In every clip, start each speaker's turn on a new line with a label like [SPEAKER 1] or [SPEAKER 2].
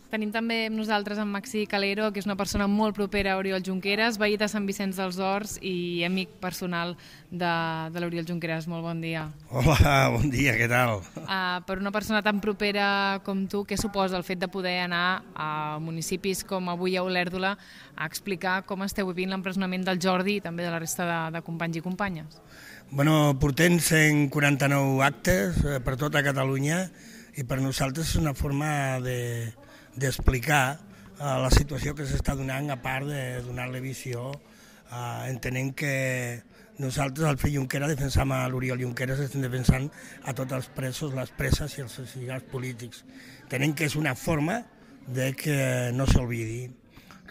[SPEAKER 1] Tenim també amb nosaltres en Maxi Calero, que és una persona molt propera a Oriol Junqueras, veí de Sant Vicenç dels Horts i amic personal de l'Oriol Junqueras. Molt bon dia.
[SPEAKER 2] Hola, bon dia, què tal?
[SPEAKER 1] Per una persona tan propera com tu, què suposa el fet de poder anar a municipis com avui a Olèrdola a explicar com esteu vivint l'empresonament del Jordi i també de la resta de companys i companyes?
[SPEAKER 2] Bueno, portem 149 actes per tota Catalunya i per nosaltres és una forma d'explicar la situació que s'està donant, a part de donar-li visió, entenent que nosaltres, al fill Junqueras, defensam a l'Oriol Junqueras, estem defensant a tots els presos, les preses i els exiliats polítics. Entenent que és una forma de que no s'olvidi.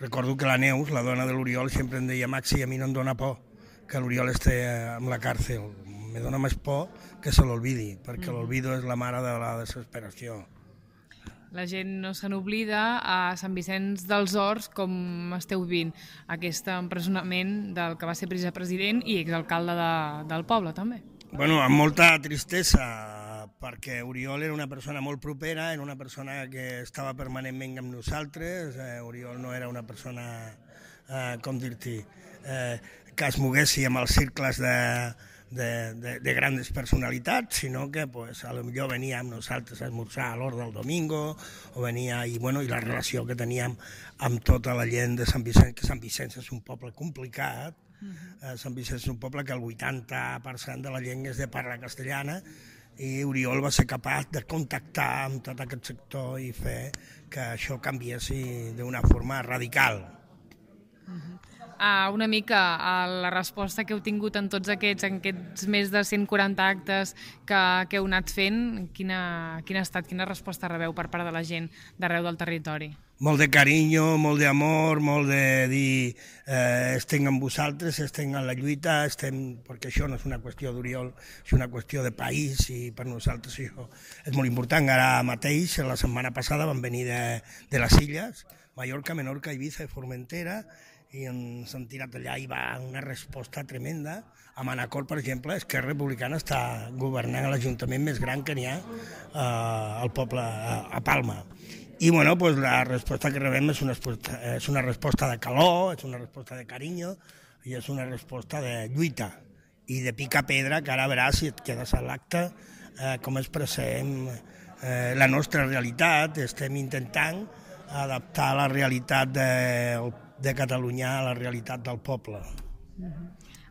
[SPEAKER 2] Recordo que la Neus, la dona de l'Oriol, sempre em deia: Maxi, a mi no em dóna por que l'Oriol estigui en la càrcel. Me dóna més por que se l'olvidi, perquè l'olvido és la mare de la desesperació.
[SPEAKER 1] La gent no se n'oblida. A Sant Vicenç dels Horts, com esteu vivint aquest empresonament del que va ser president i exalcalde del poble, també?
[SPEAKER 2] Bueno, amb molta tristesa, perquè Oriol era una persona molt propera, era una persona que estava permanentment amb nosaltres. Oriol no era una persona, com dir-t'hi, que es moguessi amb els cercles de grans personalitats, sinó que pues, a lo millor venia amb nosaltres a esmorzar a l'hora del domingo, o venia, i la relació que teníem amb tota la gent de Sant Vicenç, que Sant Vicenç és un poble complicat. Sant Vicenç és un poble que el 80% de la gent és de parla castellana, i Oriol va ser capaç de contactar amb tot aquest sector i fer que això canviessi d'una forma radical.
[SPEAKER 1] Una mica la resposta que heu tingut en tots aquests més de 140 actes que heu anat fent, quina ha estat, quina resposta rebeu per part de la gent d'arreu del territori?
[SPEAKER 2] Molt de carinyo, molt d'amor, molt de dir estem amb vosaltres, estem en la lluita, perquè això no és una qüestió d'Oriol, és una qüestió de país, i per nosaltres això és molt important. Ara mateix, la setmana passada, van venir de les Illes, Mallorca, Menorca, Ibiza i Formentera, i ens han tirat allà i va una resposta tremenda. A Manacor, per exemple, Esquerra Republicana està governant l'Ajuntament més gran que n'hi ha al poble, a Palma. I bueno, pues, la resposta que rebem és una resposta de calor, és una resposta de carinyo i és una resposta de lluita i de picar pedra, que ara veràs, si et quedes a l'acte, com expressem la nostra realitat. Estem intentant adaptar la realitat de Catalunya a la realitat del poble.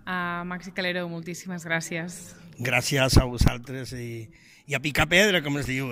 [SPEAKER 1] Maxi Calero, moltíssimes gràcies.
[SPEAKER 2] Gràcies a vosaltres i a picar pedra, com es diu,